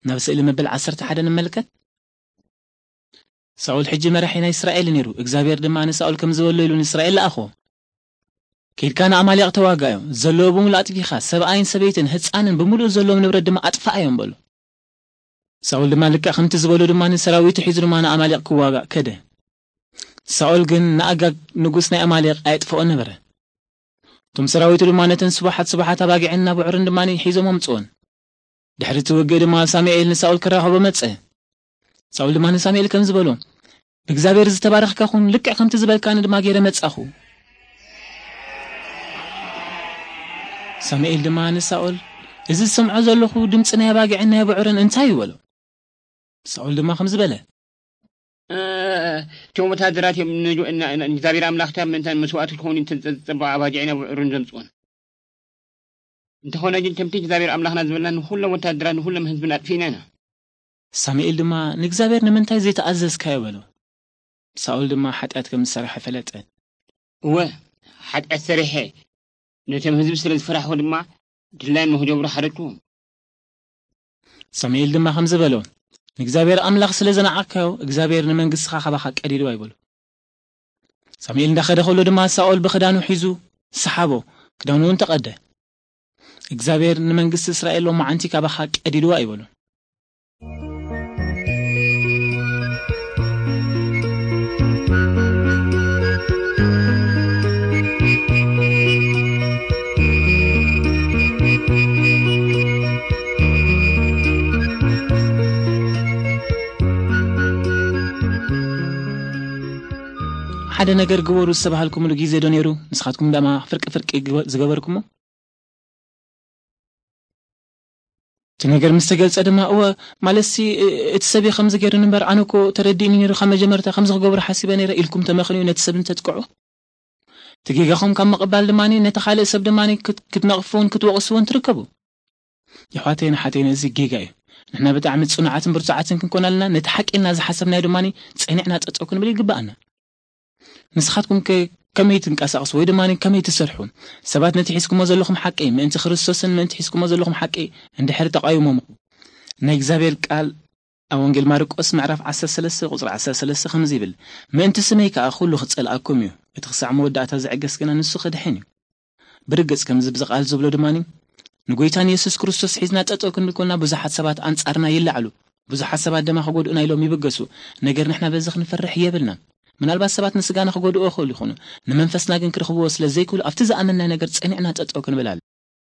ናብ ስእሊ መበል ዓሰርተ ሓደ ንመልከት። ሳኦል ሕጂ መራሒ ናይ እስራኤል ነይሩ። እግዚኣብሔር ድማ ንሳኦል ከም ዝበሎ ኢሉ ንእስራኤል ለኣኾ። "ከይድካ ንኣማሌቕ ተዋጋዮም፣ ዘለዎ ብምሉእ ኣጥፊኻ፣ ሰብኣይን ሰበይትን ህፃንን ብምሉእ ዘለዎም ንብረት ድማ ኣጥፍኣዮም" በሎ። ሳኦል ድማ ልክዕ ከምቲ ዝበሎ ድማ ንሰራዊቱ ሒዙ ድማ ንኣማሌቕ ክዋጋእ ከደ። ሳኦል ግን ንኣጋግ ንጉስ ናይ ኣማሌቕ ኣየጥፍኦ ነበረ። እቶም ሰራዊቱ ድማ ነተን ስቡሓት ስቡሓት ኣባጊዕን ናብዑርን ድማ ሒዞም ኣምፅኦን። ድሕሪ እቲ ውግእ ድማ ሳሙኤል ንሳኦል ክራኸቦ መጸ። ሳኦል ድማ ንሳሙኤል ከም ዝበሎ፣ "ብእግዚኣብሔር ዝተባረኽካ ኩን፣ ልክዕ ከምቲ ዝበልካኒ ድማ ገይረ መጻኹ።" ሳሙኤል ድማ ንሳኦል፣ "እዚ ዝሰምዖ ዘለኹ ድምጺ ናይ ኣባጊዕን ናይ ብዑርን እንታይ እዩ?" በሎ። ሳኦል ድማ ከም ዝበለ፣ "እ፣ እቶም ወታደራት እዮም ንእግዚኣብሔር ኣምላኽታ ምእንታን መስዋእቲ ክኸውን እተን ዝጸብዓ ኣባጊዕን ብዑርን ዘምጽኦን። እንተኾነ ግን ከምቲ እግዚኣብሔር ኣምላኽና ዝበልና ንኹሎም ወታደራት ንኹሎም ህዝብን ኣጥፊእና ኢና።" ሳሙኤል ድማ፣ "ንእግዚኣብሔር ንምንታይ ዘይተኣዘዝካዮ?" በሎ። ሳኦል ድማ ሓጢኣት ከም ዝሰራሐ ፈለጠ። "እወ፣ ሓጢኣት ሰሪሐ፣ ነቶም ህዝቢ ስለ ዝፈራሕኩ ድማ ድላዮም ንኽገብሩ ሓረድኩዎም።" ሳሙኤል ድማ ከምዚ በሎ፣ "ንእግዚኣብሔር ኣምላኽ ስለ ዝነዓቕካዮ፣ እግዚኣብሔር ንመንግስትኻ ካባኻ ቀዲድዋ" ይበሎ። ሳሙኤል እንዳኸደ ከሎ ድማ ሳኦል ብኽዳኑ ሒዙ ሰሓቦ፣ ክዳኑ እውን ተቐደ። "እግዚኣብሔር ንመንግስቲ እስራኤል ሎማዓንቲ ካባኻ ቀዲድዋ" ይበሎ። ሓደ ነገር ግበሩ ዝተባሃልኩምሉ ግዜ ዶ ነይሩ? ንስኻትኩም ደማ ፍርቂ ፍርቂ ግበ-፣ ዝገበርኩሞ? እቲ ነገር ምስ ተገልጸ ድማ፣ "እወ፣ ማለትሲ፣ እ-፣ እቲ ሰብ እዩ ከምዚ ገይሩኒ እምበር፣ ኣነ እኮ ተረዲእኒ ነይሩ፣ ካብ መጀመርታ ከምዚ ክገብሮ ሓሲበ ነይረ" ኢልኩም ተመኽንዩ ነቲ ሰብ እንተጥቅዑ፣ እቲ ጌጋኹም ካብ ምቕባል ድማ ነቲ ካልእ ሰብ ድማ ክት-፣ ክትነቕፍዎን ክትወቕስዎን ትርከቡ። የሕዋተይን ኣሓተይን፣ እዚ ጌጋ እዩ። ንሕና ብጣዕሚ ጽኑዓትን ብርቱዓትን ክንኮን ኣለና። ነቲ ሓቂ ኢልና ዝሓሰብናዮ ድማ ጸኒዕና ጠጠው ክንብል ይግብኣና። ንስኻትኩም ከ ከመይ ትንቀሳቐሱ ወይ ድማ ከመይ ትሰርሑ? ሰባት ነቲ ሒዝኩሞ ዘለኹም ሓቂ፣ ምእንቲ ክርስቶስን ምእንቲ ሒዝኩሞ ዘለኹም ሓቂ እንድሕር ተቓዊሞምኹም፣ ናይ እግዚኣብሔር ቃል ኣብ ወንጌል ማርቆስ ምዕራፍ ዓሰርተ ሰለስተ ቁጽሪ ዓሰርተ ሰለስተ ከምዚ ይብል፣ "ምእንቲ ስመይ ከኣ ኩሉ ክጸልኣኩም እዩ፣ እቲ ክሳዕ መወዳእታ ዝዕገስ ግና ንሱ ክድሕን እዩ።" ብርግጽ ከምዚ ብዚ ቃል ዝብሎ ድማ፣ ንጎይታ ንየሱስ ክርስቶስ ሒዝና ጠጠው ክንብል ኮና ብዙሓት ሰባት ኣንጻርና ይለዓሉ፣ ብዙሓት ሰባት ድማ ክጎድኡና ኢሎም ይብገሱ። ነገር ንሕና በዚ ክንፈርሕ የብልናን። ምናልባት ሰባት ንስጋና ክጎድኡ ይኽእሉ ይኾኑ፣ ንመንፈስና ግን ክረኽብዎ ስለ ዘይክእሉ ኣብቲ ዝኣመንናዮ ነገር ጸኒዕና ጠጠው ክንብል ኣለ።